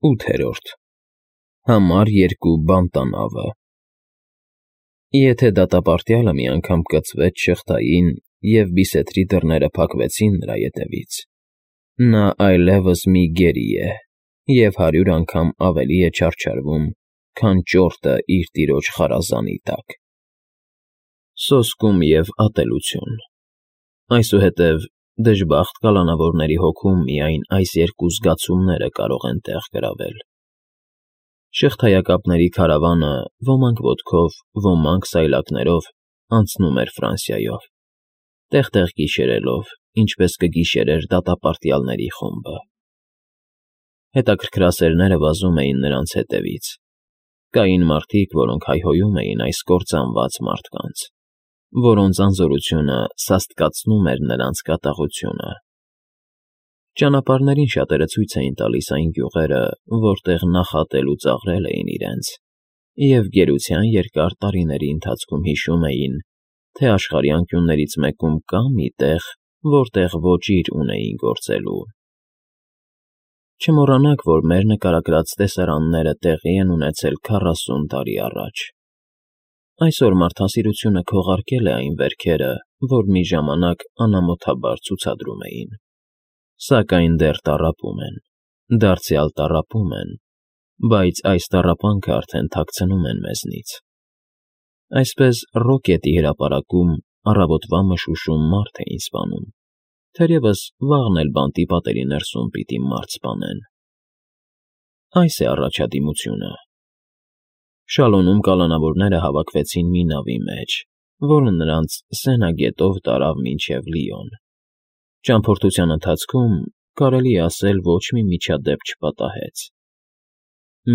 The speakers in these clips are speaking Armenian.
8-րդ Համար 2 բանտանավը Եթե դատապարտյալը մի անգամ կծվեց շղթային և բիսեթրի դռները փակվեցին նրա ետևից, նա այլևս մի գերի է և 100 անգամ ավելի է չարչարվում, քան ճորտը իր տիրոջ խարազանի տակ։ Սոսկում և ատելություն Այսուհետև դժբախտ կալանավորների հոգում միայն այս երկու զգացումները կարող են տեղ գրավել։ Շղթայակապների քարավանը ոմանք ոտքով, ոմանք սայլակներով անցնում էր Ֆրանսիայով, տեղ-տեղ գիշերելով, ինչպես կգիշերեր դատապարտյալների խումբը։ Հետաքրքրասերները վազում էին նրանց հետևից։ Կային մարդիկ, որոնք հայհոյում էին այս կործանված մարդկանց, որոնց անզորությունը սաստկացնում էր նրանց կատաղությունը։ Ճանապարհներին շատերը ցույց էին տալիս այն գյուղերը, որտեղ նախատել ու ծաղրել էին իրենց, և գերության երկար տարիների ընթացքում հիշում էին, թե աշխարհի անկյուններից մեկում կա մի տեղ, որտեղ ոճիր ունեին գործելու։ Չմոռանաք, որ մեր նկարագրած տեսարանները տեղի են ունեցել 40 տարի առաջ։ Այսօր մարդասիրությունը քողարկել է այն վերքերը, որ մի ժամանակ անամոթաբար ցուցադրում էին, սակայն դեռ տառապում են, դարձյալ տառապում են, բայց այս տառապանքը արդեն թաքցնում են մեզնից։ Այսպես Ռոկետի հրապարակում առավոտվա մշուշում մարդ էին սպանում, թերևս վաղն էլ բանտի պատերի ներսում պիտի մարդ սպանեն։ Այս է առաջադիմությունը։ Շալոնում կալանավորները հավաքվեցին մի նավի մեջ, որը նրանց Սենա գետով տարավ մինչև Լիոն։ Ճամփորդության ընթացքում, կարելի է ասել, ոչ մի միջադեպ չպատահեց։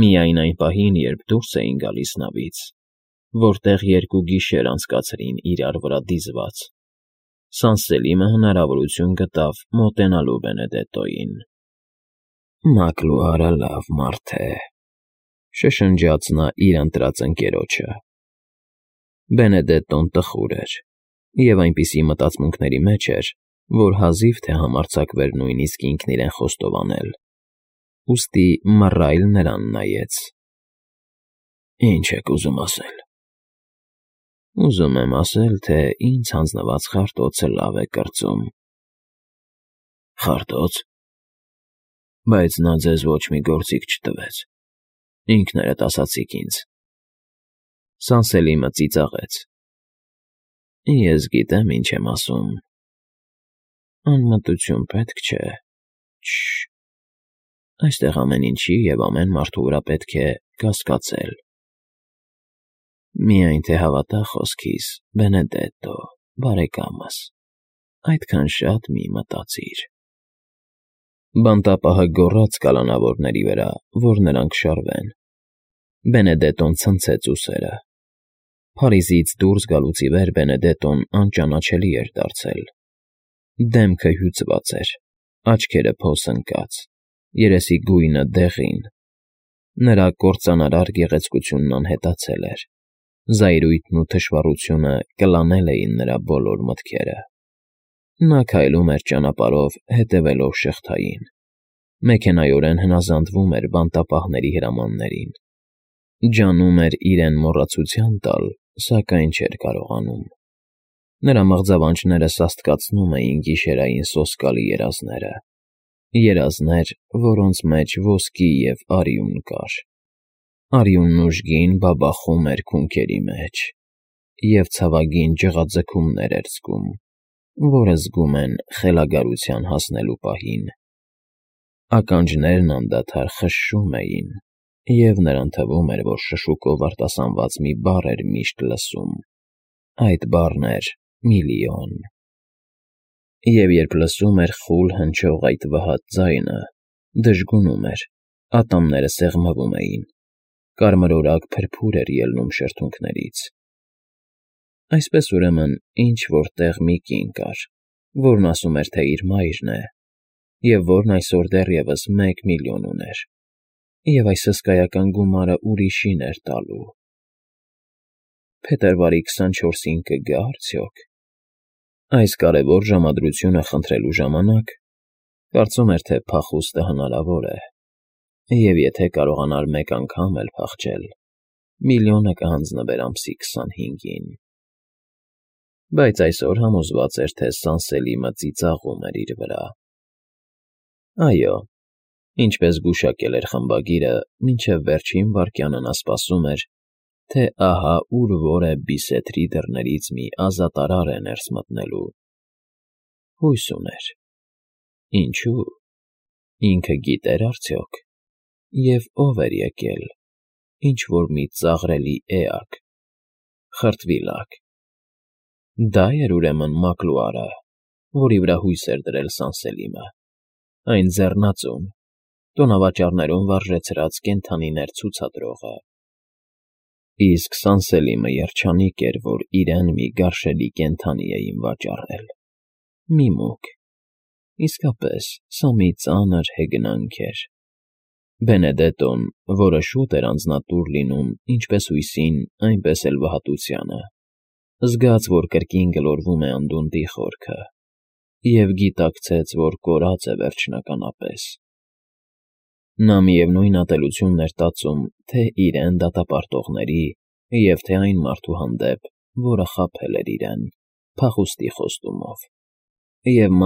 Միայն այն պահին, երբ դուրս էին գալիս նավից, որտեղ 2 գիշեր անցկացրին իրար վրա դիզված, Սանսելիմը հնարավորություն գտավ մոտենալու Բենեդետոյին։ «Մակլուհարը լավ մարդ է», շշնջաց նա իր ընտրած ընկերոջը։ Բենեդետոն տխուր էր և այնպիսի մտածմունքների մեջ էր, որ հազիվ թե համարձակվեր նույնիսկ ինքն իրեն խոստովանել, ուստի մռայլ նրան նայեց։ «Ինչ եք ուզում ասել»։ «Ուզում եմ ասել, թե ինձ հանձնված խարտոցը լավ է կրծում»։ «Խարտո՞ց։ Բայց նա ձեզ ոչ մի գործիք չտվեց, ինքներդ ասացիք ինձ»։ Սանսելիմը ծիծաղեց։ «Ես գիտեմ ինչ եմ ասում։ Անմտություն պետք չէ։ Շ… Այստեղ ամեն ինչի և ամեն մարդու վրա պետք է կասկածել։ Միայն թե հավատա խոսքիս, Բենեդետո, բարեկամս, այդքան շատ մի մտածիր»։ Բանտապահը գոռաց կալանավորների վրա, որ նրանք շարվեն։ Բենեդետոն ցնցեց ուսերը։ Փարիզից դուրս գալուց ի վեր Բենեդետոն անճանաչելի էր դարձել։ Դեմքը հյուծված էր, աչքերը փոս ընկած, երեսի գույնը դեղին։ Նրա կործանարար գեղեցկությունն անհետացել էր, զայրույթն ու թշվառությունը կլանել էին նրա բոլոր մտքերը։ Նա քայլում էր ճանապարհով, հետևելով շղթային, մեքենայորեն հնազանդվում էր բանտապահների հրամաններին, ջանում էր իրեն մոռացության տալ, սակայն չէր կարողանում։ Նրա մղձավանջները սաստկացնում էին գիշերային սոսկալի երազները, երազներ, որոնց մեջ ոսկի և արյուն կար։ Արյունն ուժգին բաբախում էր քունքերի մեջ և ցավագին ջղաձգումներ էր զգում, որը զգում են խելագարության հասնելու պահին։ Ականջներն անդադար խշշում էին, և նրան թվում էր, որ շշուկով արտասանված մի բառ էր միշտ լսում։ Այդ բառն էր միլիոն։ Եվ երբ լսում էր խուլ հնչող այդ վհատ ձայնը, դժգունում էր, ատամները սեղմվում էին, կարմրորակ փրփուր էր ելնում շրթունքներից։ Այսպես ուրեմն ինչ֊որ տեղ մի կին կար, որն ասում էր, թե իր մայրն է, և որն այսօր դեռևս 1 միլիոն ուներ, և այս հսկայական գումարը ուրիշին էր տալու։ Փետրվարի 24-ին կգա՞ արդյոք։ Այս կարևոր ժամադրությունը խնդրելու ժամանակ, կարծում էր, թե փախուստը հնարավոր է, Եվ եթե կարողանար մեկ անգամ էլ փախչել, միլիոնը կհանձնվեր ամսի 25-ին։ Բայց այսօր համոզված էր, թե Սանսելիմը ծիծաղում էր իր վրա։ Այո, ինչպես գուշակել էր խմբագիրը, մինչև վերջին վայրկյանը նա սպասում էր, թե ահա ուր որ է Բիսեթրի դռներից մի ազատարար է ներս մտնելու։ Հույս ուներ։ Ինչու՞։ Ինքը գիտեր արդյոք։ Եվ ով էր եկել, ինչ-որ մի ծաղրելի էակ, խրտվիլակ։ Դա էր ուրեմն Մակլուարը, որի վրա հույս էր դրել Սանսելիմը, այն ձեռնածուն, տոնավաճառներում վարժեցրած կենդանիներ ցուցադրողը։ Իսկ Սանսելիմը երջանիկ էր, որ իրեն մի գարշելի կենդանի էին վաճառել։ Մի մուկ։ Իսկապես, սա մի ծանր հեգնանք էր։ Բենեդետոն, որը շուտ էր անձնատուր լինում ինչպես հույսին, այնպես էլ վհատությանը, զգաց, որ կրկին գլորվում է անդունդի խորքը, և գիտակցեց, որ կորած է վերջնականապես։ Նա միևնույն ատելությունն էր տածում թե իրեն դատապարտողների և թե այն մարդու հանդեպ, որը խաբել էր իրեն, փախուստի խոստումով, և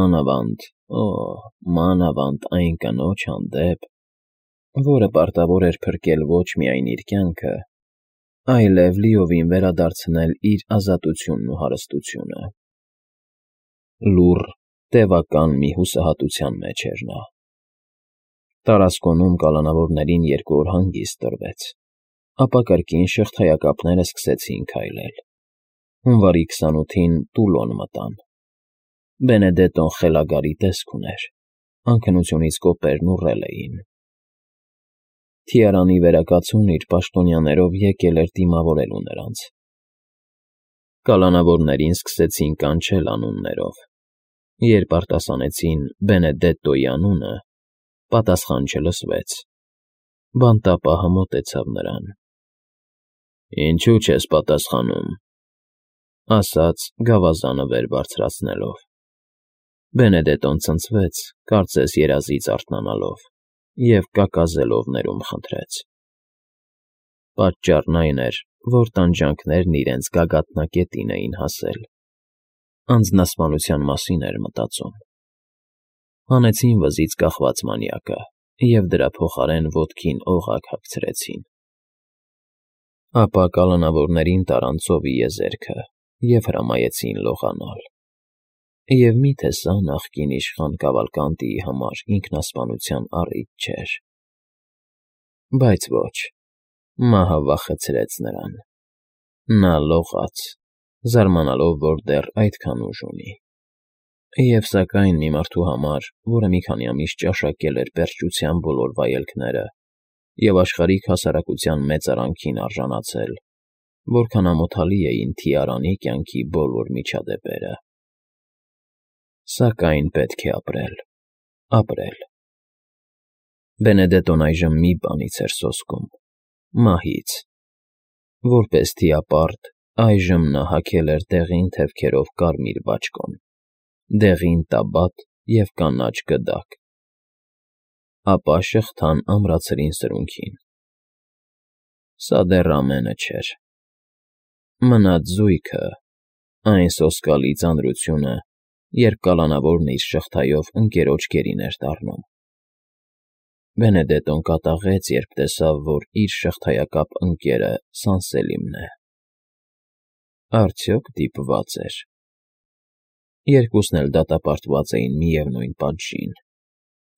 մանավանդ այն կնոջ հանդեպ, որը պարտավոր էր փրկել ոչ միայն իր կյանքը, այլև լիովին վերադարձնել իր ազատությունն ու հարստությունը։ Լուռ, տևական մի հուսահատության մեջ էր նա։ Տարասկոնում կալանավորներին 2 օր հանգիստ տրվեց, ապա կրկին շղթայակապները սկսեցին քայլել։ Հունվարի 28-ին Տուլոն մտան։ Բենեդետոն խելագարի տեսք ուներ, անքնությունից կոպերն ուռել էին։ Թիարանի վերակացուն իր պաշտոնյաներով եկել էր դիմավորելու նրանց։ Կալանավորներին սկսեցին կանչել անուններով։ Երբ արտասանեցին Բենեդետոյի անունը, պատասխան չլսվեց։ Բանտապահը մոտեցավ նրան։ «Ինչու չես պատասխանում», ասաց գավազանը վեր բարձրացնելով։ Բենեդետոն ցնցվեց, կարծես երազից արթնանալով, և կակազելով ներում խնդրեց։ Պատճառն այն էր, որ տանջանքներն իրենց գագաթնակետին էին հասել։ Անձնասպանության մասին էր մտածում։ Հանեցին վզից կախված մանյակը և դրա փոխարեն ոտքին օղակ հագցրեցին։ Ապա կալանավորներին տարան ծովի եզերքը և հրամայեցին լողանալ։ Եվ մի՞թե սա նախկին իշխան Կավալկանտիի համար ինքնասպանության առիթ չէր։ Բայց ոչ, մահը վախեցրեց նրան։ Նա լողաց, զարմանալով, որ դեռ այդքան ուժ ունի։ Եվ սակայն մի մարդու համար, որը մի քանի ամիս ճաշակել էր պերճության բոլոր վայելքները և աշխարհիկ հասարակության մեծարանքին արժանացել, որքան ամոթալի էին Թիարանի կյանքի բոլոր միջադեպերը։ Սակայն պետք է ապրել։ Բենեդետոն այժմ մի բանից էր սոսկում՝ մահից։ Որպես թիապարտ, այժմ նա հագել էր դեղին թևքերով կարմիր բաճկոն, դեղին տաբատ և կանաչ գդակ։ Ապա շղթան ամրացրին սրունքին։ Սա դեռ ամենը չէր։ Մնաց զույգը, այն սոսկալի ծանրությունը, երբ կալանավորն իր շղթայով ընկերոջ գերին էր դառնում։ Բենեդետոն կատաղեց, երբ տեսավ, որ իր շղթայակապ ընկերը Սանսելիմն է։ Արդյոք դիպված էր։ Երկուսն էլ դատապարտված էին միևնույն պատժին։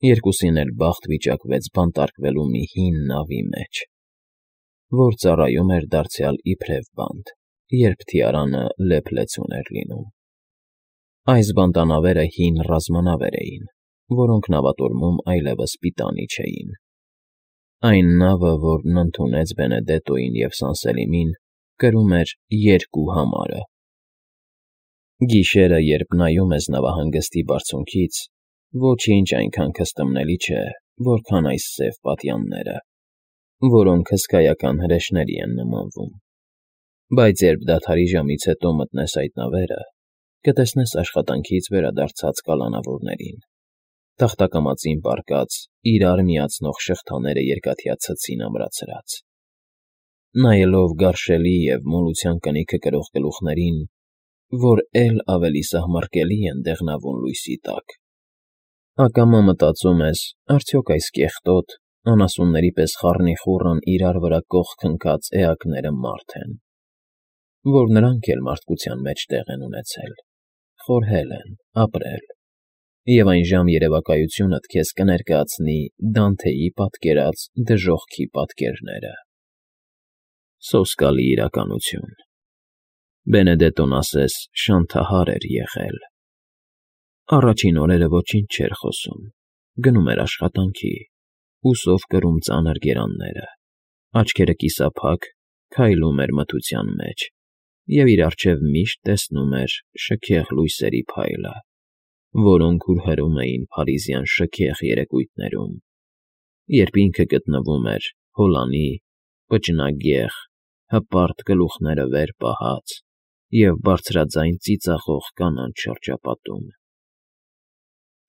Երկուսին էլ բախտ վիճակվեց բանտարկվելու մի հին նավի մեջ, որ ծառայում էր դարձյալ իբրև բանտ, երբ Թիարանը լեփ-լեցուն էր լինում։ Այս բանտանավերը հին ռազմանավեր էին, որոնք նավատորմում այլևս պիտանի չէին։ Այն նավը, որն ընդունեց Բենեդետոյին և Սանսելիմին, կրում էր 2 համարը։ Գիշերը, երբ նայում ես նավահանգստի բարձունքից, ոչինչ այնքան քստմնելի չէ, որքան այս սև պատյանները, որոնք հսկայական հրեշների են նմանվում։ Բայց երբ դադարի ժամից հետո մտնես այդ նավերը, կտեսնես աշխատանքից վերադարձած կալանավորներին։ Թախտակամածին պառկած, իրար միացնող շղթաները երկաթյա ցցին ամրացրած։ Նայելով գարշելի և մոլության կնիքը կրող գլուխներին, որ էլ ավելի սահմռկելի են դեղնավուն լույսի տակ, ակամա մտածում ես, արդյոք այս կեղտոտ, անասունների պես խառնիխուռն իրար վրա կողք ընկած էակները մարդ են, որ նրանք էլ մարդկության մեջ տեղ են ունեցել, խորհել են, ապրել, և այն ժամ երևակայությունդ քեզ կներկայացնի Դանթեի պատկերած դժոխքի պատկերները։ Սոսկալի իրականություն։ Բենեդետոն ասես շանթահար էր եղել։ Առաջին օրերը ոչինչ չէր խոսում, գնում էր աշխատանքի, ուսով կրում ծանր գերանները, աչքերը կիսափակ, քայլում էր մթության մեջ և իր առջև միշտ տեսնում էր շքեղ լույսերի փայլը, որոնք հուրհրում էին փարիզյան շքեղ երեկույթներում, երբ ինքը գտնվում էր հոլանի, պճնագեղ, հպարտ գլուխները վեր պահած և բարձրաձայն ծիծաղող կանանց շրջապատում։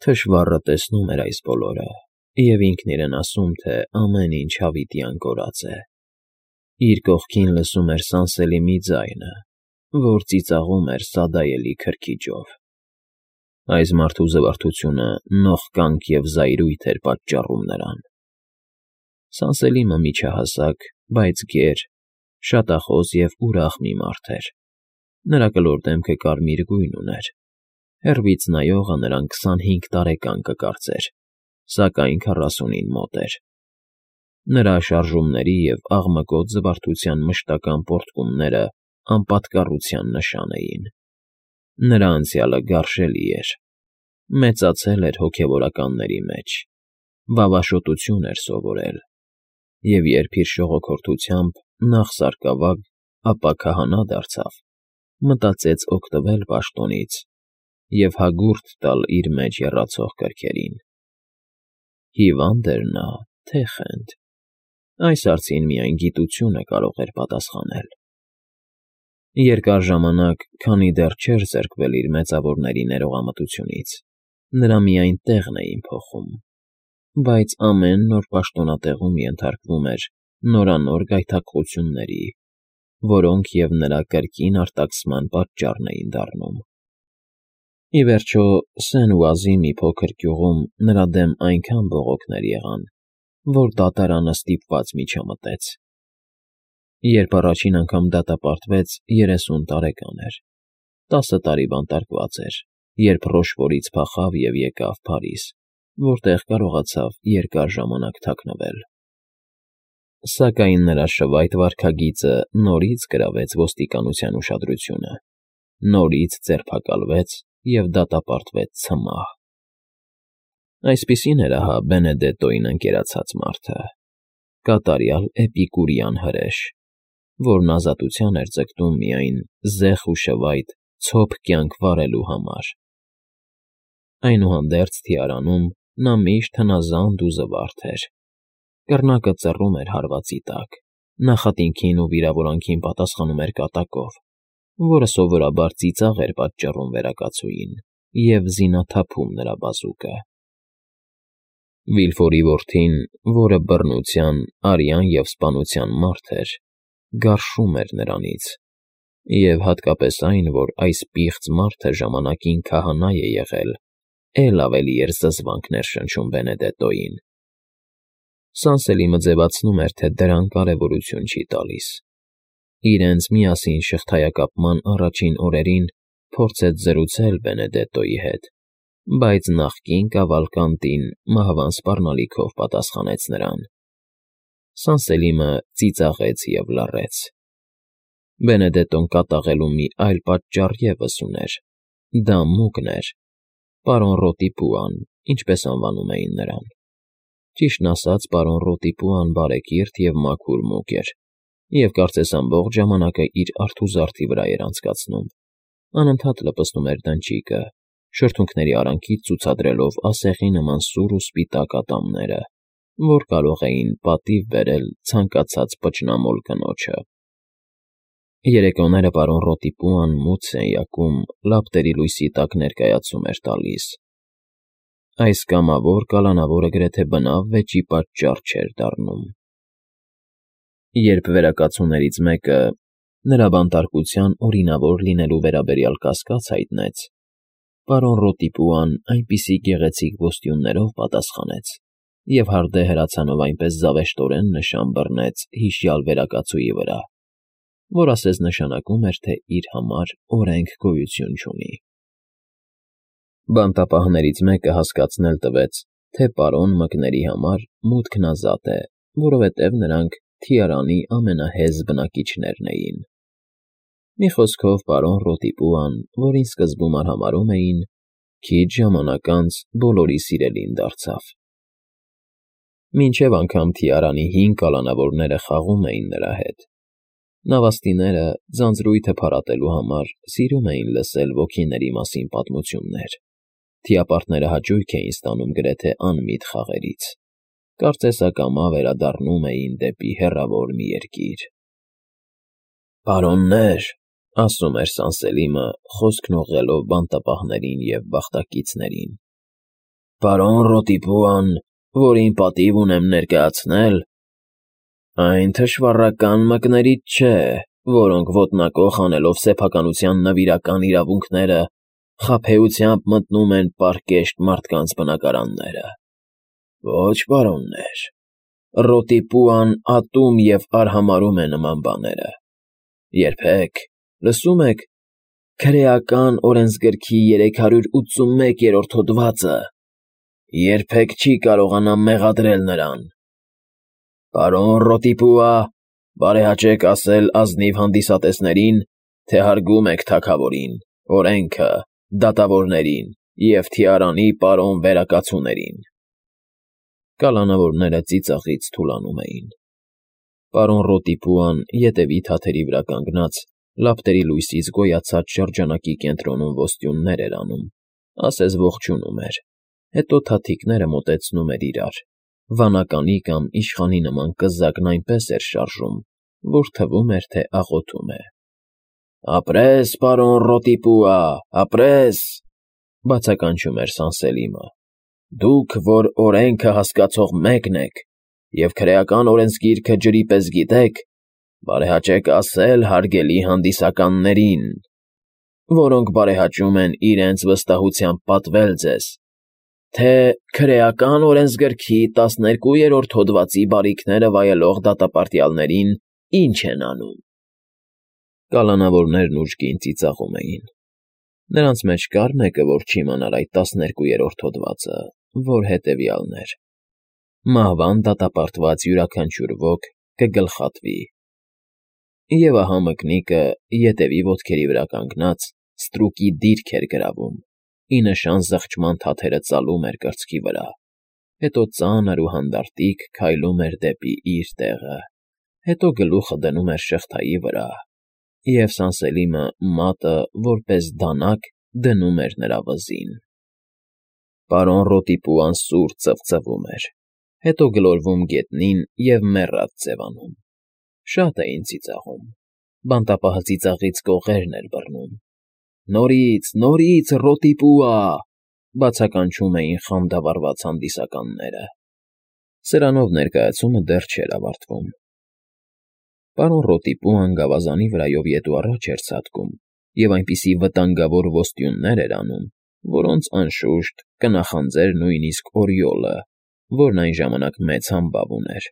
Թշվառը տեսնում էր այս բոլորը և ինքն իրեն ասում, թե ամեն ինչ հավիտյան կորած է։ Իր կողքին լսում էր Սանսելիմի ձայնը, որ ծիծաղում էր սադայելի քրքիջով։ Այս մարդու զվարթությունը նողկանք և զայրույթ էր պատճառում նրան։ Սանսելիմը միջահասակ, բայց գեր, շատախոս և ուրախ մի մարդ էր։ Նրա կլոր դեմքը կարմիր գույն ուներ։ Հեռվից նայողը նրան 25 տարեկան կկարծեր, սակայն 40-ին մոտ էր։ Նրա շարժումների և աղմկոտ զվարթության մշտական պոռթկումները անպատկառության նշան էին։ Նրա անցյալը գարշելի էր։ Մեծացել էր հոգևորականների մեջ, վավաշոտություն էր սովորել, և երբ իր շողոքորթությամբ նախ սարկավագ, ապա քահանա դարձավ, մտածեց օգտվել պաշտոնից և հագուրդ տալ իր մեջ եռացող կրքերին։ Հիվա՞նդ էր նա, թե խենթ։ Այս հարցին միայն գիտությունը կարող էր պատասխանել։ Երկար ժամանակ, քանի դեռ չէր զրկվել իր մեծավորների ներողամտությունից, նրա միայն տեղն էին փոխում, բայց ամեն նոր պաշտոնատեղում ենթարկվում էր նորանոր գայթակղությունների, որոնք և նրա կրկին արտաքսման պատճառն էին դառնում։ Ի վերջո, Սեն֊Ուազի մի փոքր գյուղում նրա դեմ այնքան բողոքներ եղան, որ դատարանը ստիպված միջամտեց։ Երբ առաջին անգամ դատապարտվեց, 30 տարեկան էր։ 10 տարի բանտարկված էր, երբ Ռոշֆորից փախավ և եկավ Փարիզ, որտեղ կարողացավ երկար ժամանակ թաքնվել։ Սակայն նրա շվայտ վարքագիծը նորից գրավեց ոստիկանության ուշադրությունը, նորից ձերբակալվեց և դատապարտվեց ցմահ։ Այսպիսին էր ահա Բենեդետոյին ընկերացած մարդը, կատարյալ էպիկուրյան հրեշ, որն ազատության էր ձգտում միայն զեղ ու շվայտ ցոփ կյանք վարելու համար։ Այնուհանդերձ թիարանում նա միշտ հնազանդ ու զվարթ էր։ Կռնակը ծռում էր հարվածի տակ, նախատինքին ու վիրավորանքին պատասխանում էր կատակով, որը սովորաբար ծիծաղ էր պատճառում վերակացուին և զինաթափում նրա բազուկը։ Վիլֆորի որդին, որը բռնության, արյան և սպանության մարդ էր, գարշում էր նրանից, և հատկապես այն, որ այս պիղծ մարդը ժամանակին քահանա է եղել, էլ ավելի էր զզվանքներ շնչում Բենեդետոյին։ Սանսելիմը ձևացնում էր, թե դրան կարևորություն չի տալիս։ Իրենց միասին շղթայակապման առաջին օրերին փորձեց զրուցել Բենեդետոյի հետ, բայց նախկին կավալկանտին մահվան սպառնալիքով պատասխանեց նրան։ Սանսելիմը ծիծաղեց և լռեց։ Բենեդետոն կատաղելու մի այլ պատճառ ևս ուներ. դա Մուկն էր, պարոն Ռոտիպուան, ինչպես անվանում էին նրան։ Ճիշտն ասած, պարոն Ռոտիպուան բարեկիրթ և մաքուր Մուկ էր, և կարծես ամբողջ ժամանակը իր արթուզարդի վրա էր անցկացնում, անընդհատ լպստում էր դնչիկը, շրթունքների արանքից ցուցադրելով ասեղի նման սուր ու սպիտակ ատամները, որ կարող էին պատիվ բերել ցանկացած պճնամոլ կնոջը։ Երեկոները պարոն Ռոտիպուան մութ սենյակում լապտերի լույսի տակ ներկայացում էր տալիս։ Այս կամավոր կալանավորը գրեթե բնավ վեճի պատճառ չէր դառնում։ Երբ վերակացուներից մեկը նրա բանտարկության օրինավոր լինելու վերաբերյալ կասկած հայտնեց, պարոն Ռոտիպուան այնպիսի գեղեցիկ ոստյուններով պատասխանեց և հարդե հրացանով այնպես զավեշտորեն նշան բռնեց հիշյալ վերակացուի վրա, որ ասես նշանակում էր, թե իր համար օրենք գոյություն չունի։ Բանտապահներից մեկը հասկացնել տվեց, թե պարոն Մկների համար մուտքն ազատ է, որովհետև նրանք Թիարանի ամենահեզ բնակիչներն էին։ Մի խոսքով պարոն Ռոտիպուան, որին սկզբում արհամարհում էին, քիչ ժամանակ անց բոլորի սիրելին դարձավ։ Մինչև անգամ Թիարանի 5 կալանավորները խաղում էին նրա հետ։ Նավաստիները ձանձրույթը փարատելու համար սիրում էին լսել ոգիների մասին պատմություններ։ Թիապարտները հաճույք էին ստանում գրեթե անմիտ խաղերից։ Կարծես ակամա վերադառնում էին դեպի հեռավոր մի երկիր։ «Պարոններ», ասում էր Սանսելիմը, խոսքն ուղղելով բանտապահներին և բախտակիցներին, «պարոն Ռոտիպուան, որին պատիվ ունեմ ներկայացնել, այն թշվառական մկներից չէ, որոնք ոտնակոխ անելով սեփականության նվիրական իրավունքները, խաբեությամբ մտնում են պարկեշտ մարդկանց բնակարանները։ Ոչ, պարոններ, Ռոտիպուան ատում և արհամարհում է նման բաները։ Երբեք, լսում եք, քրեական օրենսգրքի 381-րդ հոդվածը երբեք չի կարողանա մեղադրել նրան։ Պարոն Ռոտիպուա, բարեհաճեք ասել ազնիվ հանդիսատեսներին, թե հարգում եք թագավորին, օրենքը, դատավորներին և Թիարանի պարոն վերակացուներին»։ Կալանավորները ծիծաղից թուլանում էին։ Պարոն Ռոտիպուան ետևի թաթերի վրա կանգնած, լապտերի լույսից գոյացած շրջանակի կենտրոնում ոստյուններ էր անում, ասես ողջունում էր, հետո թաթիկները մոտեցնում էր իրար, վանականի կամ իշխանի նման կզակն այնպես էր շարժում, որ թվում էր, թե աղոթում է։ «Ապրես, պարոն Ռոտիպուա, ապրես», բացականչում էր Սանսելիմը։ «Դուք, որ օրենքը հասկացող մեկն եք և քրեական օրենսգիրքը ջրի պես գիտեք, բարեհաճեք ասել հարգելի հանդիսականներին, որոնք բարեհաճում են իրենց վստահությամբ պատվել ձեզ, թե քրեական օրենսգրքի 12-րդ հոդվածի բարիքները վայելող դատապարտյալներին ինչ են անում»։ Կալանավորներն ուժգին ծիծաղում էին։ Նրանց մեջ կար մեկը, որ չիմանար այդ 12-րդ հոդվածը, որ հետևյալն էր. մահվան դատապարտված յուրաքանչյուր ոք կգլխատվի։ Եվ ահա Մկնիկը, ետևի ոտքերի վրա կանգնած, ստրուկի դիրք էր գրավում, ի նշան զղջման թաթերը ծալում էր կրծքի վրա, հետո ծանր ու հանդարտիկ քայլում էր դեպի իր տեղը, հետո գլուխը դնում էր շղթայի վրա, և Սանսելիմը մատը, որպես դանակ, դնում էր նրա վզին։ Պարոն Ռոտիպուան սուր ծվծվում էր, հետո գլորվում գետնին և մեռած ձևանում։ Շատ էին ծիծաղում։ Բանտապահը ծիծաղից կողերն էր բռնում։ «Նորից, նորից, Ռոտիպուա», բացականչում էին խանդավառված հանդիսականները։ Սրանով ներկայացումը դեռ չէր ավարտվում։ Պարոն Ռոտիպուան գավազանի վրայով ետ ու առաջ էր ցատկում և այնպիսի վտանգավոր ոստյուններ էր անում, որոնց, անշուշտ, կնախանձեր նույնիսկ Օրիոլը, որն այն ժամանակ մեծ համբավ ուներ։